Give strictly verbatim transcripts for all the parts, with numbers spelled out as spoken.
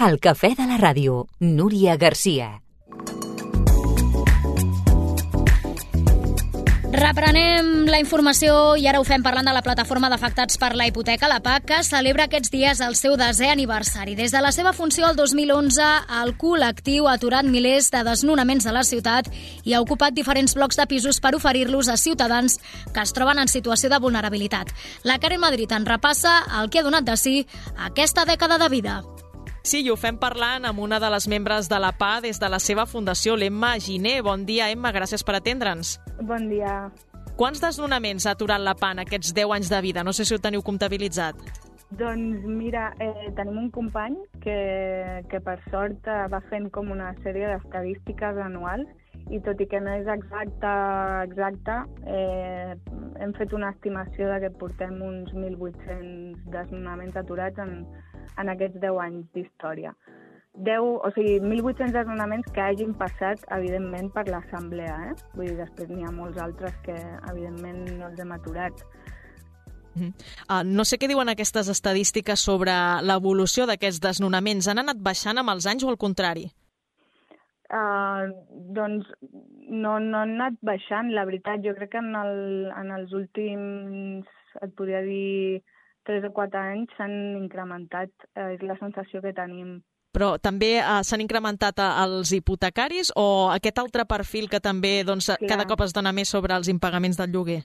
El cafè de la ràdio, Núria Garcia. Reprenem la informació i ara ho fem parlant de la plataforma d'afectats per la hipoteca, la P A C, que celebra aquests dies el seu desè aniversari. Des de la seva funció el dos mil onze, el col·lectiu ha aturat milers de desnonaments de la ciutat i ha ocupat diferents blocs de pisos per oferir-los a ciutadans que es troben en situació de vulnerabilitat. La Karen Madrid en repassa el que ha donat de si aquesta dècada de vida. Sí, i ho fem parlant amb una de les membres de la P A des de la seva fundació, l'Emma Giner. Bon dia, Emma, gràcies per atendre'ns. Bon dia. Quants desnonaments ha aturat la P A en aquests deu anys de vida? No sé si ho teniu comptabilitzat. Doncs mira, eh, tenim un company que, que per sort eh, va fent com una sèrie d'estadístiques anuals i tot i que no és exacte, exacte eh, hem fet una estimació de que portem uns mil vuit-cents desnonaments aturats en, en aquests deu anys d'història. deu, o sigui, mil vuit-cents desnonaments que hagin passat, evidentment, per l'assemblea, eh? Vull dir, després n'hi ha molts altres que, evidentment, no els hem aturat. Mm. Uh, no sé què diuen aquestes estadístiques sobre l'evolució d'aquests desnonaments. Han anat baixant amb els anys o al contrari? Uh, doncs no, no han anat baixant, la veritat. Jo crec que en, el, en els últims, et podria dir, tres o quatre anys s'han incrementat. Uh, és la sensació que tenim. Però també uh, s'han incrementat els hipotecaris o aquest altre perfil que també doncs, cada cop es dona més sobre els impagaments del lloguer?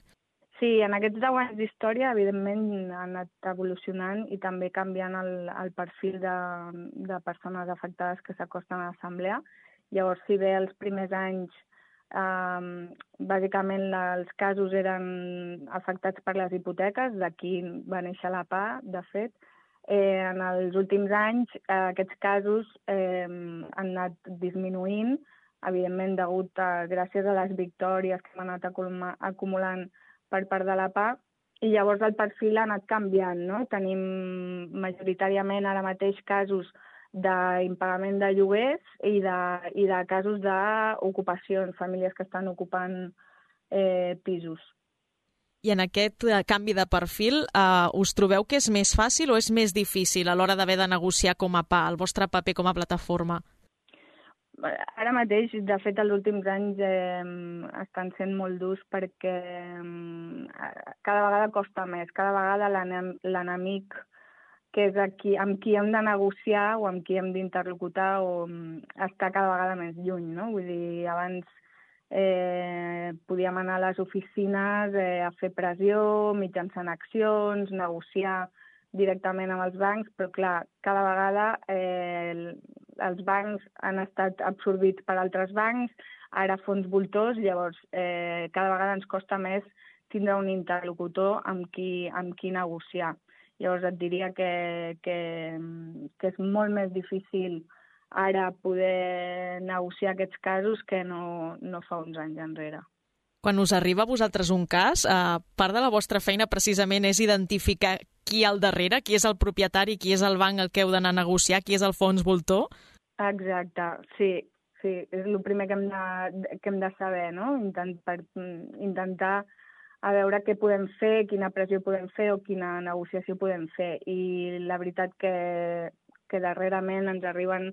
Sí, en aquests deu anys d'història, evidentment, ha anat evolucionant i també canviant el, el perfil de, de persones afectades que s'acosten a l'assemblea. Llavors, si bé els primers anys, eh, bàsicament els casos eren afectats per les hipoteques, d'aquí va néixer la P A, de fet, eh, en els últims anys eh, aquests casos eh, han anat disminuint, evidentment degut a, gràcies a les victòries que hem anat acumulant per part de la P A, i llavors el perfil ha anat canviant, no? Tenim majoritàriament ara mateix casos d'impagament de lloguers i de, i de casos d'ocupacions, famílies que estan ocupant eh, pisos. I en aquest uh, canvi de perfil, uh, us trobeu que és més fàcil o és més difícil a l'hora d'haver de negociar com a P A, el vostre paper com a plataforma? Ara mateix, de fet, els últims anys eh, estan sent molt durs perquè eh, cada vegada costa més, cada vegada l'enemic que és aquí, amb qui hem de negociar o amb qui hem d'interlocutar o està cada vegada més lluny, no? Vull dir, abans eh, podíem anar a les oficines eh, a fer pressió, mitjançant accions, negociar directament amb els bancs, però clar, cada vegada eh, els bancs han estat absorbits per altres bancs, ara fons voltors, llavors eh, cada vegada ens costa més tindre un interlocutor amb qui, amb qui negociar. Llavors et diria que, que, que és molt més difícil ara poder negociar aquests casos que no, no fa uns anys enrere. Quan us arriba a vosaltres un cas, eh, part de la vostra feina precisament és identificar qui hi ha al darrere, qui és el propietari, qui és el banc al que heu d'anar a negociar, qui és el fons voltor? Exacte, sí, sí, és el primer que hem de, que hem de saber, no? Intent, per intentar a veure què podem fer, quina pressió podem fer o quina negociació podem fer. I la veritat que, que darrerament ens arriben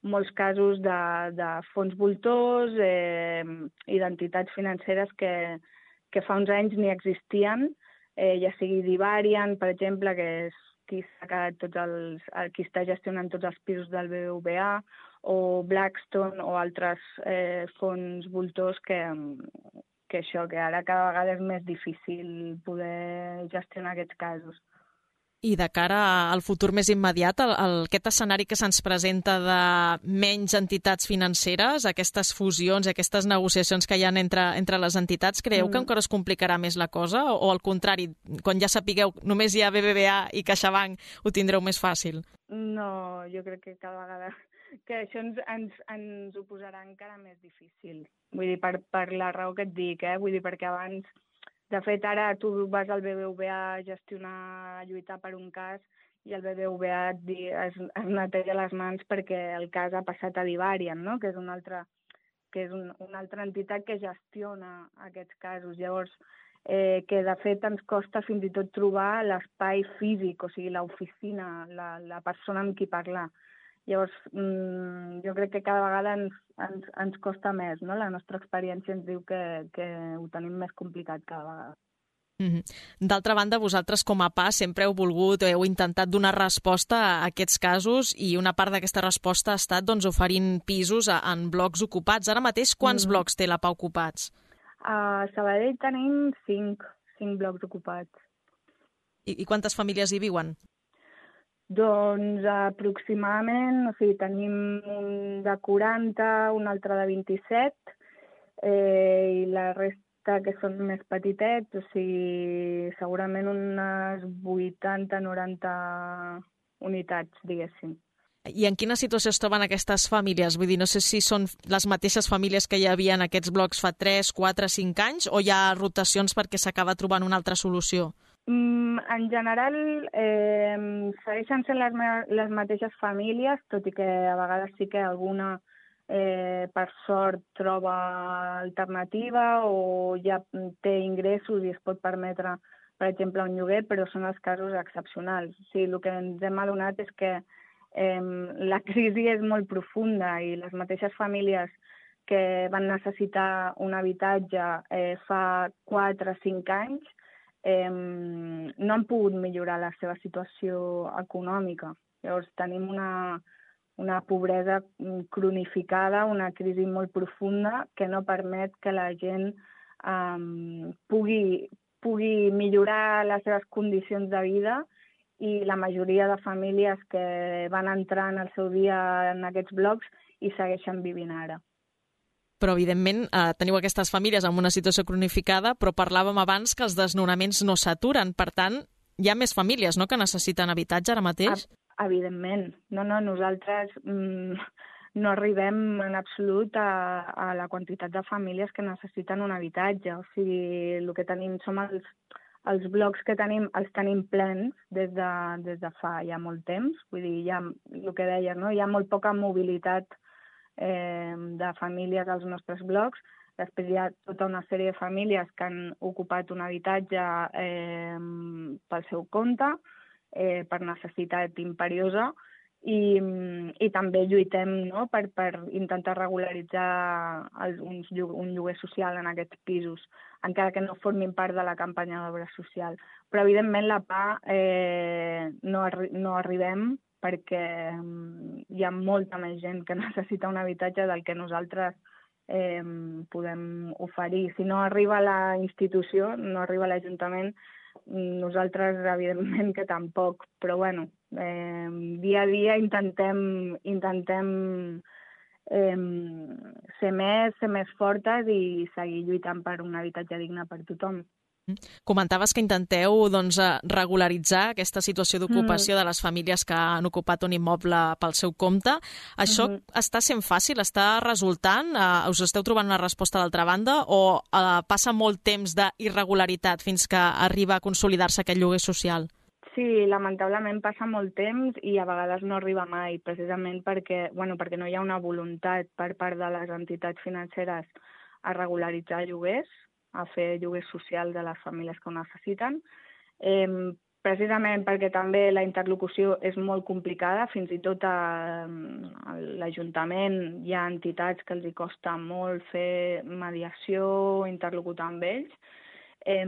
molts casos de, de fons voltors eh, i d'entitats financeres que, que fa uns anys ni existien, eh, ja sigui Divarian, per exemple, que és qui s'ha quedat tots els, qui està gestionant tots els pisos del B B V A, o Blackstone o altres eh, fons voltors que, que això, que ara cada vegada és més difícil poder gestionar aquests casos. I de cara al futur més immediat, el, el, aquest escenari que se'ns presenta de menys entitats financeres, aquestes fusions, aquestes negociacions que hi ha entre, entre les entitats, creieu mm. que encara es complicarà més la cosa? O, o al contrari, quan ja sapigueu només hi ha B B V A i CaixaBank, ho tindreu més fàcil? No, jo crec que cada vegada que això ens, ens, ens ho posarà encara més difícil. Vull dir, per, per la raó que et dic, eh? Vull dir, perquè abans... De fet, ara tu vas al B B V A a gestionar, a lluitar per un cas i el B B V A et, es, es neteja les mans perquè el cas ha passat a Divarian, no? Que és una altra, que és un, una altra entitat que gestiona aquests casos. Llavors, eh, que de fet ens costa fins i tot trobar l'espai físic, o sigui, l'oficina, la, la persona amb qui parlar. Llavors, mm, jo crec que cada vegada ens, ens, ens costa més, no? La nostra experiència ens diu que, que ho tenim més complicat cada vegada. Mm-hmm. D'altra banda, vosaltres com a P A sempre heu volgut o heu intentat donar resposta a aquests casos i una part d'aquesta resposta ha estat doncs, oferint pisos a, en blocs ocupats. Ara mateix, quants mm. blocs té la P A ocupats? A Sabadell tenim cinc, cinc blocs ocupats. I, I quantes famílies hi viuen? Doncs aproximadament, o sigui, tenim un de quaranta, un altre de vint-i-set, eh, i la resta que són més petitets, o sigui, segurament unes vuitanta noranta unitats, diguéssim. I en quina situació es troben aquestes famílies? Vull dir, no sé si són les mateixes famílies que hi havia en aquests blocs fa tres, quatre, cinc anys o hi ha rotacions perquè s'acaba trobant una altra solució? Mm, en general, eh, segueixen sent les, les mateixes famílies, tot i que a vegades sí que alguna, eh, per sort, troba alternativa o ja té ingressos i es pot permetre, per exemple, un lloguer, però són els casos excepcionals. O sigui, el que ens hem adonat és que eh, la crisi és molt profunda i les mateixes famílies que van necessitar un habitatge eh, fa quatre o cinc anys Eh, no han pogut millorar la seva situació econòmica. Llavors tenim una, una pobresa cronificada, una crisi molt profunda que no permet que la gent eh, pugui, pugui millorar les seves condicions de vida i la majoria de famílies que van entrar en el seu dia en aquests blocs hi segueixen vivint ara. Però, evidentment, eh, teniu aquestes famílies en una situació cronificada, però parlàvem abans que els desnonaments no s'aturen. Per tant, hi ha més famílies, no?, que necessiten habitatge ara mateix? Evidentment. No, no, nosaltres mm, no arribem en absolut a, a la quantitat de famílies que necessiten un habitatge. O sigui, el que tenim som els, els blocs que tenim, els tenim plens des de, des de fa ja molt temps. Vull dir, hi ha, el que deies, no?, hi ha molt poca mobilitat Eh, de famílies als nostres blocs. Després hi ha tota una sèrie de famílies que han ocupat un habitatge eh, pel seu compte, eh, per necessitat imperiosa, i, i també lluitem, no?, per, per intentar regularitzar els, uns, un lloguer social en aquests pisos, encara que no formin part de la campanya d'obra social. Però, evidentment, la P A eh, no, arri no arribem perquè hi ha molta més gent que necessita un habitatge del que nosaltres eh, podem oferir. Si no arriba a la institució, no arriba a l'Ajuntament, nosaltres, evidentment, que tampoc. Però, bueno, eh, dia a dia intentem, intentem eh, ser més, ser més fortes i seguir lluitant per un habitatge digne per tothom. Comentaves que intenteu doncs, regularitzar aquesta situació d'ocupació mm. de les famílies que han ocupat un immoble pel seu compte. Això mm -hmm. està sent fàcil? Està resultant? Uh, us esteu trobant una resposta d'altra banda? O uh, passa molt temps d'irregularitat fins que arriba a consolidar-se aquest lloguer social? Sí, lamentablement passa molt temps i a vegades no arriba mai, precisament perquè, bueno, perquè no hi ha una voluntat per part de les entitats financeres a regularitzar lloguers, a fer lloguer social de les famílies que ho necessiten, eh, precisament perquè també la interlocució és molt complicada, fins i tot a, a l'Ajuntament hi ha entitats que els hi costa molt fer mediació, interlocutar amb ells. Eh,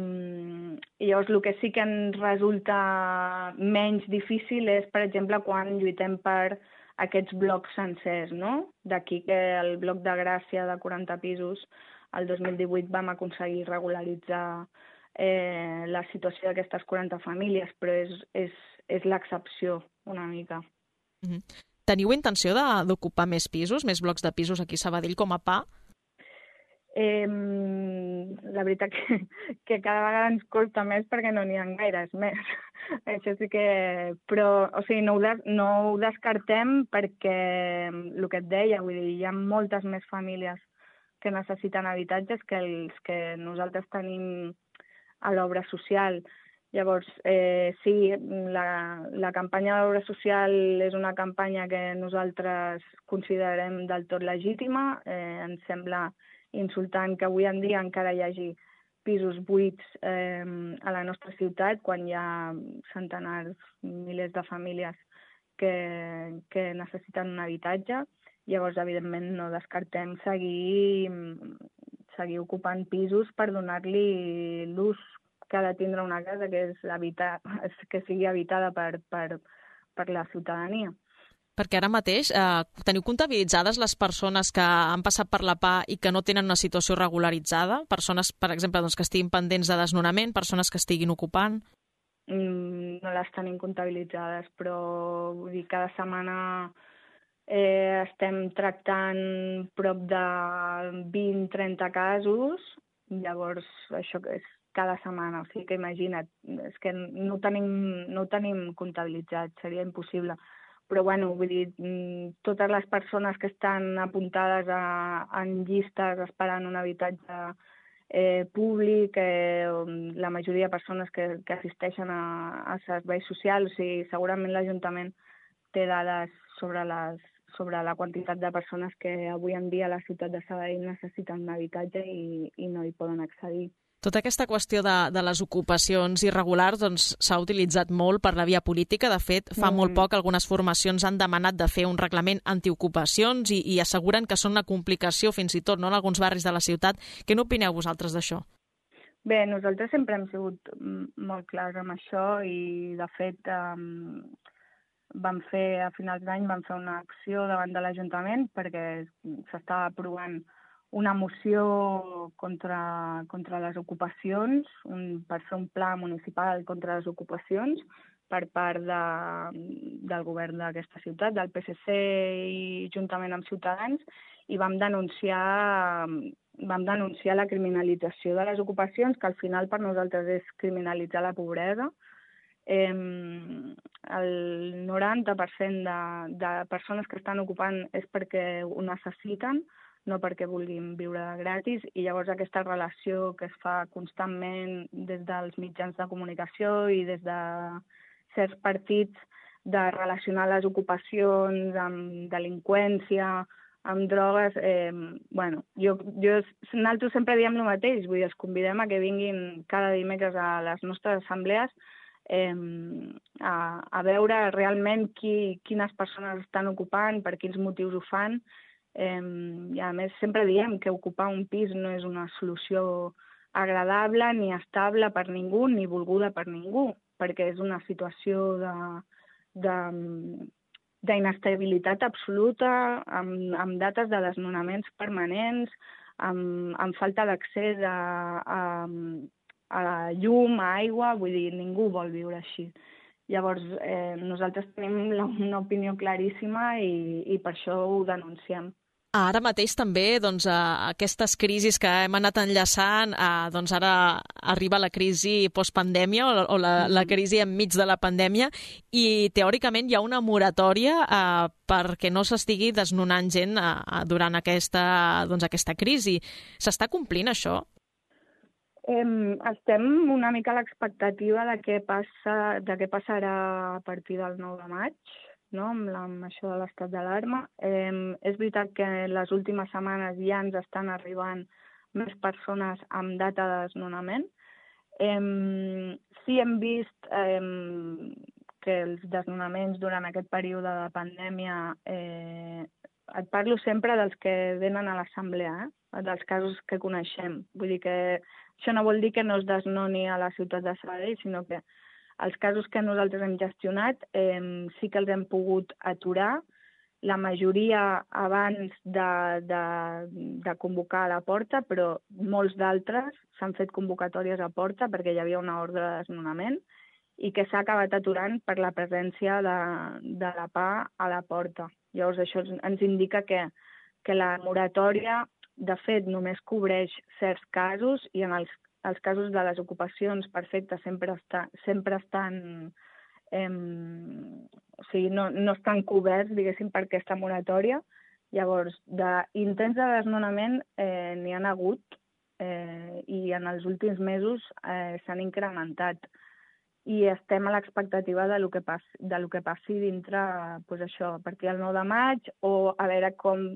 i llavors el que sí que ens resulta menys difícil és, per exemple, quan lluitem per aquests blocs sencers, no? D'aquí que el bloc de Gràcia de quaranta pisos el dos mil divuit vam aconseguir regularitzar eh, la situació d'aquestes quaranta famílies, però és, és, és l'excepció una mica. Mm-hmm. Teniu intenció d'ocupar més pisos, més blocs de pisos aquí a Sabadell com a P A? Eh, la veritat que, que cada vegada ens costa més perquè no n'hi ha gaires més. Això sí que... Però, o sigui, no ho, des, no ho descartem perquè el que et deia, vull dir, hi ha moltes més famílies que necessiten habitatges que els que nosaltres tenim a l'obra social. Llavors, eh, sí, la, la campanya d'obra social és una campanya que nosaltres considerem del tot legítima. Eh, ens sembla insultant que avui en dia encara hi hagi pisos buits eh, a la nostra ciutat, quan hi ha centenars, milers de famílies que, que necessiten un habitatge. Llavors, evidentment, no descartem seguir, seguir ocupant pisos per donar-li l'ús que ha de tindre una casa, que és habitar, que sigui habitada per, per, per la ciutadania. Perquè ara mateix eh, teniu comptabilitzades les persones que han passat per la P A i que no tenen una situació regularitzada? Persones, per exemple, doncs, que estiguin pendents de desnonament, persones que estiguin ocupant? Mm, no les tenim comptabilitzades, però vull dir, cada setmana eh, estem tractant prop de vint a trenta casos, llavors això és cada setmana, o sigui que imagina't, és que no ho tenim, no ho tenim comptabilitzat, seria impossible. Però, bueno, vull dir, totes les persones que estan apuntades a, en llistes esperant un habitatge eh, públic, eh, la majoria de persones que, que assisteixen a, a serveis socials, o sigui, segurament l'Ajuntament té dades sobre, les, sobre la quantitat de persones que avui en dia a la ciutat de Sabadell necessiten un habitatge i, i no hi poden accedir. Tota aquesta qüestió de, de les ocupacions irregulars doncs, s'ha utilitzat molt per la via política. De fet, fa mm. molt poc algunes formacions han demanat de fer un reglament antiocupacions i, i asseguren que són una complicació fins i tot no, en alguns barris de la ciutat. Què n'opineu vosaltres d'això? Bé, nosaltres sempre hem sigut molt clars amb això i, de fet, um, vam fer, a finals d'any vam fer una acció davant de l'Ajuntament perquè s'estava aprovant una moció contra, contra les ocupacions, un, per fer un pla municipal contra les ocupacions per part de, del govern d'aquesta ciutat, del P S C i juntament amb Ciutadans, i vam denunciar, vam denunciar la criminalització de les ocupacions, que al final per nosaltres és criminalitzar la pobresa. Eh, el noranta per cent de, de persones que estan ocupant és perquè ho necessiten, no perquè vulguin viure gratis, i llavors aquesta relació que es fa constantment des dels mitjans de comunicació i des de certs partits de relacionar les ocupacions amb delinqüència, amb drogues, eh, bueno, jo, jo, nosaltres sempre diem el mateix, vull dir, els convidem a que vinguin cada dimecres a les nostres assemblees eh, a, a veure realment qui, quines persones estan ocupant, per quins motius ho fan. Eh, I a més sempre diem que ocupar un pis no és una solució agradable ni estable per ningú ni volguda per ningú, perquè és una situació de, de, d'inestabilitat absoluta, amb, amb dates de desnonaments permanents, amb, amb falta d'accés a, a, a llum, a aigua, vull dir, ningú vol viure així. Llavors, eh, nosaltres tenim una opinió claríssima i, i per això ho denunciem. Ara mateix també doncs, aquestes crisis que hem anat enllaçant, eh, doncs ara arriba la crisi postpandèmia o, o la, la crisi enmig de la pandèmia i teòricament hi ha una moratòria eh, perquè no s'estigui desnonant gent eh, durant aquesta, doncs, aquesta crisi. S'està complint això? Eh, estem una mica a l'expectativa de què passa, de què passarà a partir del nou de maig, no? amb, la, amb això de l'estat d'alarma. Eh, és veritat que les últimes setmanes ja ens estan arribant més persones amb data de desnonament. Eh, sí hem vist eh, que els desnonaments durant aquest període de pandèmia, eh, et parlo sempre dels que venen a l'assemblea, eh? dels casos que coneixem. Vull dir que això no vol dir que no es desnoni a la ciutat de Sabadell, sinó que els casos que nosaltres hem gestionat eh, sí que els hem pogut aturar, la majoria abans de, de, de convocar a la porta, però molts d'altres s'han fet convocatòries a porta perquè hi havia una ordre de desnonament i que s'ha acabat aturant per la presència de, de la P A a la porta. Llavors això ens indica que, que la moratòria, de fet, només cobreix certs casos i en els Els casos de les ocupacions perfectes sempre, està, sempre estan, eh, o sigui, no, no estan coberts, diguéssim, per aquesta moratòria. Llavors, d'intents de desnonament eh, n'hi ha hagut eh, i en els últims mesos eh, s'han incrementat. I estem a l'expectativa de lo que passi, de lo que passi dintre, pues això, a partir del nou de maig, o a veure com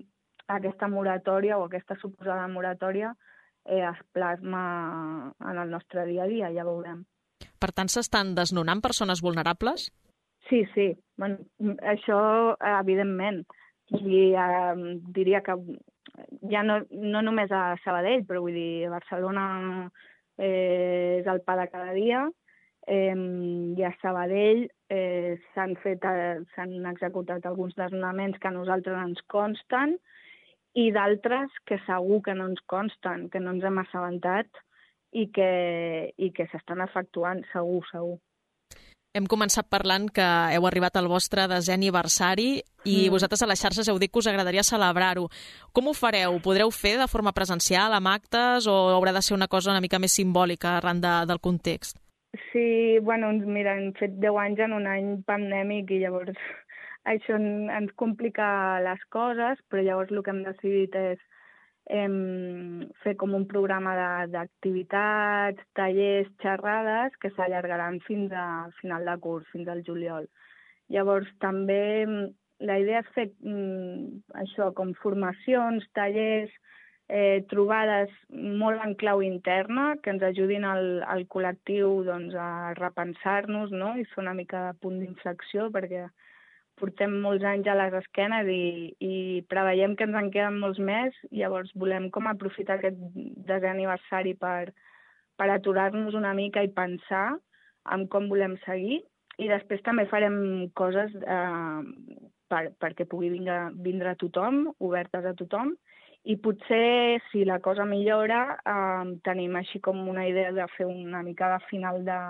aquesta moratòria o aquesta suposada moratòria Eh, es plasma en el nostre dia a dia, ja veurem. Per tant, s'estan desnonant persones vulnerables? Sí, sí, bueno, això evidentment. I eh, diria que ja no, no només a Sabadell, però vull dir, a Barcelona eh, és el pa de cada dia, eh, i a Sabadell eh, s'han fet, eh, s'han executat alguns desnonaments que a nosaltres ens consten i d'altres que segur que no ens consten, que no ens hem assabentat i que, i que s'estan efectuant, segur, segur. Hem començat parlant que heu arribat al vostre desè aniversari i mm. vosaltres a les xarxes heu dit que us agradaria celebrar-ho. Com ho fareu? Podreu fer de forma presencial, amb actes, o haurà de ser una cosa una mica més simbòlica arran de, del context? Sí, bueno, mira, hem fet deu anys en un any pandèmic i llavors això ens complica les coses, però llavors el que hem decidit és Em, fer com un programa d'activitats, tallers, xerrades que s'allargaran fins al final de curs, fins al juliol. Llavors també la idea és fer mm, això, com formacions, tallers, eh, trobades molt en clau interna que ens ajudin al, al col·lectiu doncs, a repensar-nos, no? I fer una mica de punt d'inflexió perquè portem molts anys a les esquenes i, i preveiem que ens en queden molts més, llavors volem com aprofitar aquest desè aniversari per, per aturar-nos una mica i pensar en com volem seguir, i després també farem coses eh, per, perquè pugui vindre, vindre a tothom, obertes a tothom, i potser, si la cosa millora, eh, tenim així com una idea de fer una mica de final de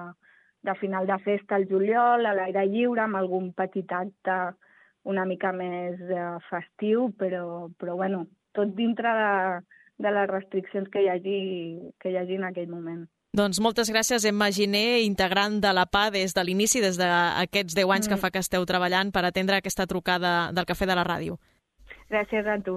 de final de festa al juliol, a l'aire lliure, amb algun petit acte una mica més eh, festiu, però, però bueno, tot dintre de, de les restriccions que hi hagi, que hi hagi en aquell moment. Doncs moltes gràcies, Emma Giner, integrant de la P A des de l'inici, des d'aquests deu anys mm. que fa que esteu treballant per atendre aquesta trucada del Cafè de la Ràdio. Gràcies a tu.